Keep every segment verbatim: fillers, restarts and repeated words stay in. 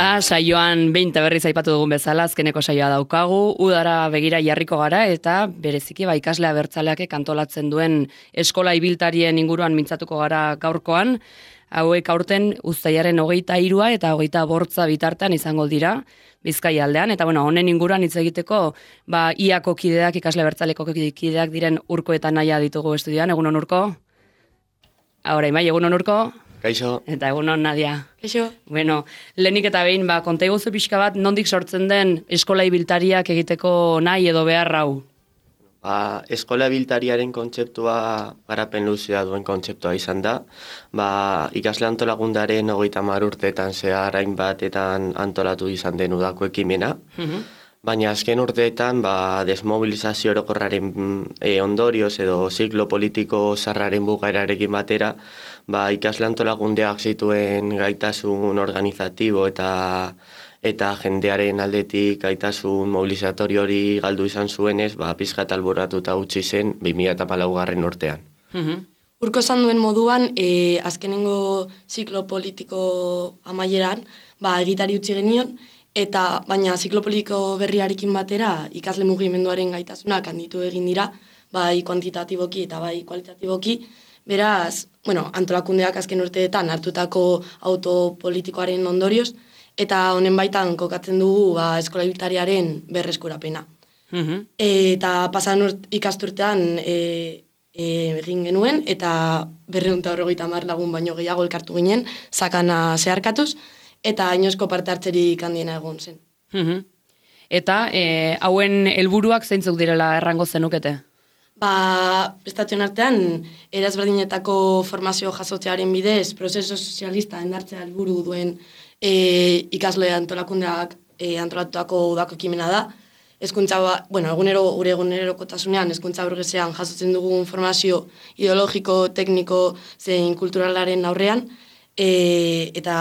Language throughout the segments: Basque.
Eta saioan behin eta berriz aipatu dugun bezala, azkeneko saioa daukagu, udara begira jarriko gara, eta bereziki ba, ikaslea bertzaleak kantolatzen duen eskola ibiltarien inguruan mintzatuko gara gaurkoan, hauek aurten uztailaren hogeita hirua eta hogeita bortza bitartean izango dira, Bizkaia aldean, eta bueno, honen inguruan hitz egiteko, ba, iako kideak, ikasle bertzaleko kideak diren Urko eta Naia ditugu estudioan, egunon Urko? Ahora, Imai, egunon Urko? Kaixo. Eta egunon Nadia. Kaixo. Bueno, lehenik eta behin, ba, konta iguzu pixka bat, nondik sortzen den eskola ibiltariak egiteko nahi edo behar hau? Ba, eskola ibiltariaren kontzeptua garapen luzea duen kontzeptua izan da. Ba, ikasle antolagundaren hogeita hamar urteetan zehar hainbatetan antolatu izan den udako ekimena. Mhm. Baina azken urteetan ba, desmobilizazio orokorraren e, ondorioz edo ziklo politiko zarraren bukaerarekin batera, ba, ikasle antolagundeak zituen gaitasun organizatibo eta eta jendearen aldetik gaitasun mobilizatorio hori galdu izan zuenez, ba, pizkat alboratuta utzi zen bi mila hamalaugarren urtean. Mhm. Urko esan duen moduan, e, azkenengo ziklo politiko amaieran, ba, egitari utzi genion, eta baina ziklo politiko berriarekin batera ikasle mugimenduaren gaitasunak handitu egin dira, bai kuantitatiboki eta bai kualitatiboki, beraz, bueno, antolakundeak azken urteetan hartutako autopolitikoaren ondorioz, eta honen baitan kokatzen dugu ba, eskola ibiltariaren berreskurapena. Mhm. Eta pasan urt, ikasturtean e, e, egin genuen, eta berrehun eta berrogeita hamar lagun baino gehiago elkartu ginen, sakana zeharkatuz, eta inoizko parte hartzerik handiena egon zen. Mhm. Eta e, hauen helburuak zeintzuk direla errango zenukete? Ba, prestatuen artean, erazberdinetako formazio jasotzearen bidez, prozeso sozialista endartzea helburu duen e, ikasle antolakundeak e, antolatutako udako ekimena da. Hezkuntza, ba, bueno, egunero, gure egunerokotasunean, hezkuntza burgesean jasotzen dugun formazio ideologiko, tekniko, zein kulturalaren aurrean, e, eta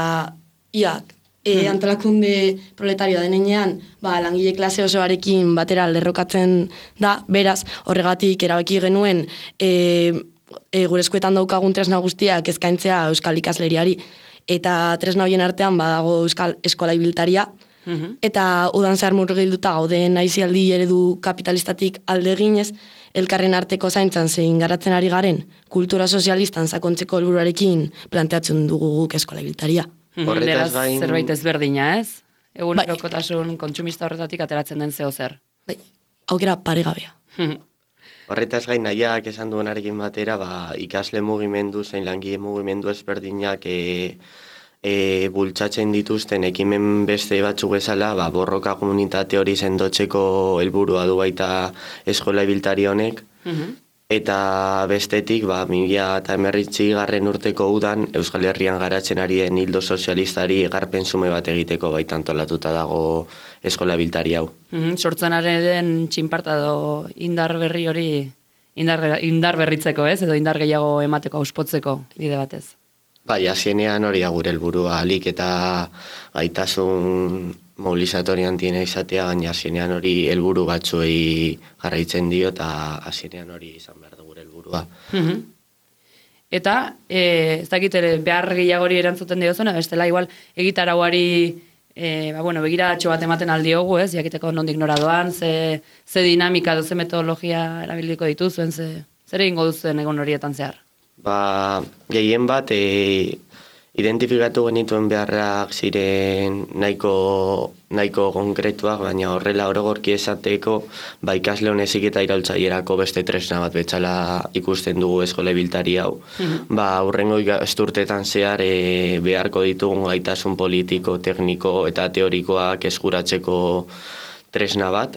iak, e, antolakunde proletarioa denean, ba, langile klase osoarekin batera lerrokatzen da, beraz, horregatik erabaki genuen e, e, gure eskuetan daukagun tresna guztiak eskaintzea euskal ikasleriari, eta tresna horien artean badago euskal eskola ibiltaria, Mhm. eta udan zehar murgilduta gauden aizialdi eredu kapitalistatik alde eginez, elkarren arteko zaintzan zein garatzen ari garen, kultura sozialistan sakontzeko helburuarekin planteatzen dugu guk eskola ibiltaria. Mhm. Horretaz Beraz, gain- zerbait ezberdina, ez? Egunerokotasun kontsumista horretatik ateratzen den zeo zer. Bai, aukera paregabea. Mhm. Horretaz gain nahiak esan duenarekin batera, ba, ikasle mugimendu zein langile mugimendu ezberdinak e, e, bultzatzen dituzten ekimen beste batzuk bezala, ba, borroka komunitate hori sendotzeko helburua du baita eskola ibiltari honek, Mhm. eta bestetik, ba, mila eta emerritzi garren urteko udan Euskal Herrian garatzen ari den hildo sozialistari egarpen zume bat egiteko baita antolatuta dago eskola ibiltari hau. Mhm. Sortzenaren txinparta edo indar berri hori indar, indar berritzeko, ez? Edo indar gehiago emateko, auspotzeko bide batez. Bai, azienean hori da gure helburua alik eta gaitasun mobilizatorian tiene izatea, baina azienean hori helburu batzuei jarraitzen dio eta azienean hori izan behar du gure helburua. Mhm. Eta, e, ez dakit ere, behar gehiagori erantzuten diozuna, bestela igual egitarauari e, ba, bueno, begiratxo bat ematen aldiogu, ez? Jakiteko nondik nora doan, ze, ze dinamika, ze metodologia erabiliko dituzuen, ze, zer egingo duzuen egon horietan zehar? Ba, gehien bat, e, identifikatu genituen beharrak ziren nahiko, nahiko konkretuak, baina horrela orogorki esateko, ba, ikasle honezik eta iraultzailerako beste tresna bat betxala ikusten dugu eskola ibiltari hau. Ba, hurrengo ikasturtetan zehar e, beharko ditugun gaitasun politiko, tekniko eta teorikoak eskuratzeko tresna bat,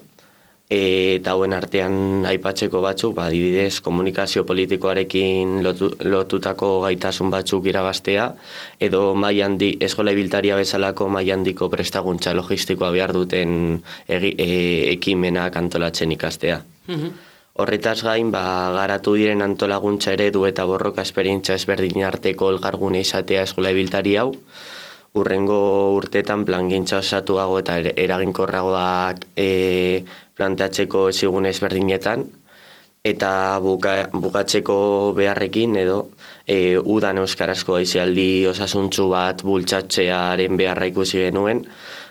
E, eta hauen artean aipatzeko batzuk, ba, adibidez, komunikazio politikoarekin lotu, lotutako gaitasun batzuk irabaztea, edo mai handi, eskola ibiltaria bezalako mai handiko prestaguntza logistikoa behar duten egi, e, ekimenak antolatzen ikastea. Mhm. Horretaz gain, ba, garatu diren antolaguntza eredu eta borroka esperientzia ezberdin arteko elkargune izatea eskola ibiltari hau, urrengo urtetan plangintza osatuago eta eraginkorragoak e, planteatzeko ezigun ezberdinetan, eta buka, bukatzeko beharrekin edo e, udan euskarazko aizialdi osasuntzu bat bultzatzearen beharra ikusi genuen,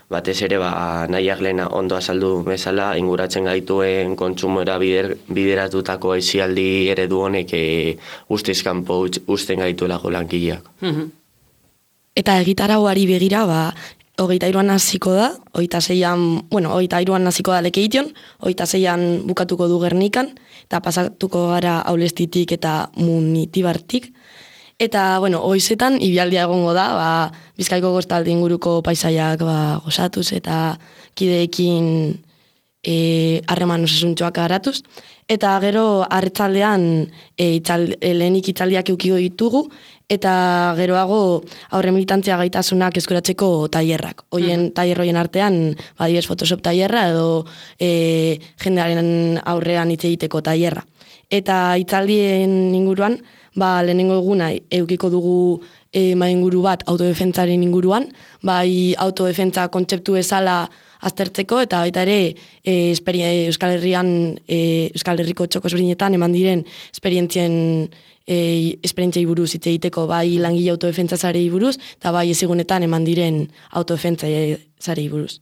batez ere ba, nahiak lehena ondo azaldu bezala inguratzen gaituen kontsumora bider, bideratutako aizialdi eredu honek e, guztiz kanpo uzten gaituelako langileak. Mhm. Eta egitarauari begira, ba, hogeita iruan hasiko da, hogeita zeian, bueno, hogeita iruan hasiko da Lekeition, hogeita zeian bukatuko du Gernikan, eta pasatuko gara Aulestitik eta Munitibartik. Eta, bueno, hoizetan, ibialdia egongo da, ba, Bizkaiko kostalde inguruko paisaiak ba, gozatuz eta kideekin harreman e, osasuntxoak garatuz. Eta gero, arretzaldean, e, itzal, e, lehenik itzaldiak eukiko ditugu, eta geroago aurre militantzia gaitasunak eskuratzeko tailerrak. Hoien tailer hoien artean, badibes Photoshop tailerra edo e, jendearen aurrean hitz egiteko tailerra. Eta itzaldien inguruan, ba, lehenengo eguna eukiko dugu e, mai inguru bat autodefentzaren inguruan, bai autodefentza kontzeptu bezala aztertzeko, eta baita ere e, Euskal Herrian, e, Euskal Herriko txoko ezberdinetan eman diren esperientzien E, esperientziai buruz hitz egiteko, bai langile autodefentza zarei buruz, eta bai ezigunetan eman diren autodefentza zarei buruz.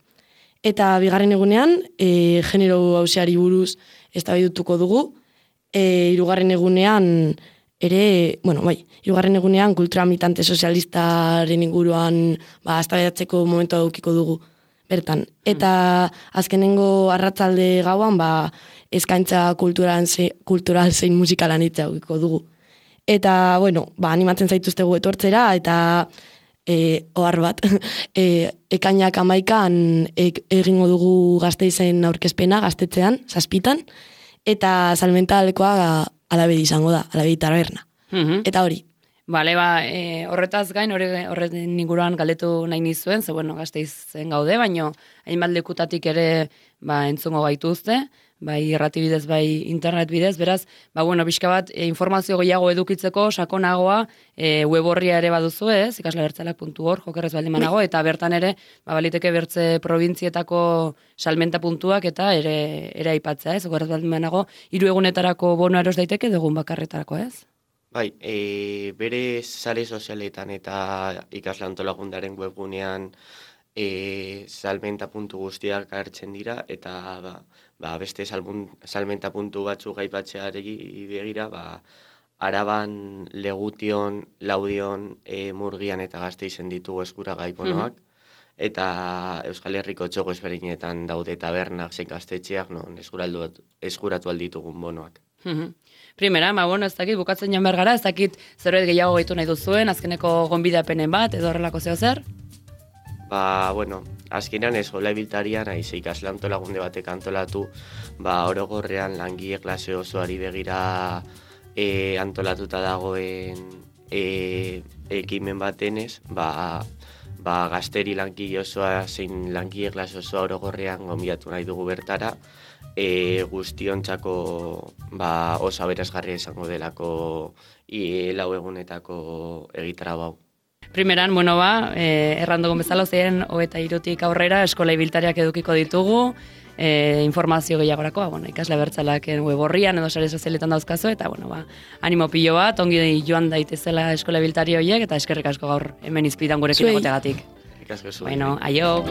Eta bigarren egunean, e, genero hauseari buruz eztabaidutuko dugu, e, hirugarren egunean ere, bueno, bai, hirugarren egunean kultura militante sozialistaren inguruan ba, eztabaidatzeko momentua edukiko dugu bertan. Eta azkenengo arratzalde gauan, ba, eskaintza kultural, ze, kultural zein musikalan hitza edukiko dugu. Eta, bueno, ba, animatzen zaituztegu etortzera, eta e, ohar bat, e, ekainak amaikan e, egingo dugu Gasteizen aurkezpena, gaztetzean, zazpitan, eta salmentalekoa alabedi izango da, alabedi taberna. Mhm. Eta hori. Bale, ba, e, horretaz gain, horretin inguruan galdetu nahi nizuen, ze, bueno, Gasteizen gaude, baino, hainbat lekutatik ere, ba, entzungo gaituzte, bai irrati bidez, bai internet bidez, beraz, ba, bueno, pixka bat, e, informazio gehiago edukitzeko, sakonagoa, e, web horria ere baduzu ez, ikaslebertzalak puntu org, jokerrez baldin manago, eta bertan ere, ba, baliteke bertze probintzietako salmenta puntuak, eta ere, ere aipatzea ez, jokerrez baldin manago, hiru egunetarako bono eros daiteke, dugun bakarretarako ez? Bai, e, bere sare sozialetan eta ikasle antolakundaren webgunean e, salmenta puntu guztiak hartzen dira, eta ba, ba, beste salbun, salmenta puntu batzuk aipatzeari begira, ba, Araban, Legution, Laudion, e, Murgian eta Gasteizen ditugu eskuragai bonoak, mm-hmm. eta Euskal Herriko txoko ezberdinetan daude tabernak zein gaztetxeak non eskuratu alditugun bonoak. Mm-hmm. Primera, ma bueno, ez dakit, bukatzen joan behar gara, ez dakit zerbait gehiago gaitu nahi duzuen, azkeneko gonbidapenen bat, edo horrelako zeo zer? Ba, bueno, azkenean eskola ibiltarian, aiz ikasle antolagunde batek antolatu, ba, orogorrean langile klase osoari begira e, antolatuta dagoen e, ekimen batenez, ba, ba, gazteri langile osoa, zein langile klase osoa orogorrean gonbidatu nahi dugu bertara, e, guztiontzako ba, oso aberasgarria izango delako i, lau egunetako egitara bau. Primeran, bueno ba, eh, errandogon bezala, zein hogeita hirutik aurrera eskola ibiltariak edukiko ditugu, eh, informazio gehiagorako, ba, bueno, ikasle bertzalaken web horrian edo sare sozialetan dauzkazu, eta bueno, ba, animo pilo bat, ongi joan daitezela eskola ibiltari horiek, eta eskerrik asko gaur hemen izpidan gurekin egoteagatik. Eskerrik asko zuen. Bueno, aio!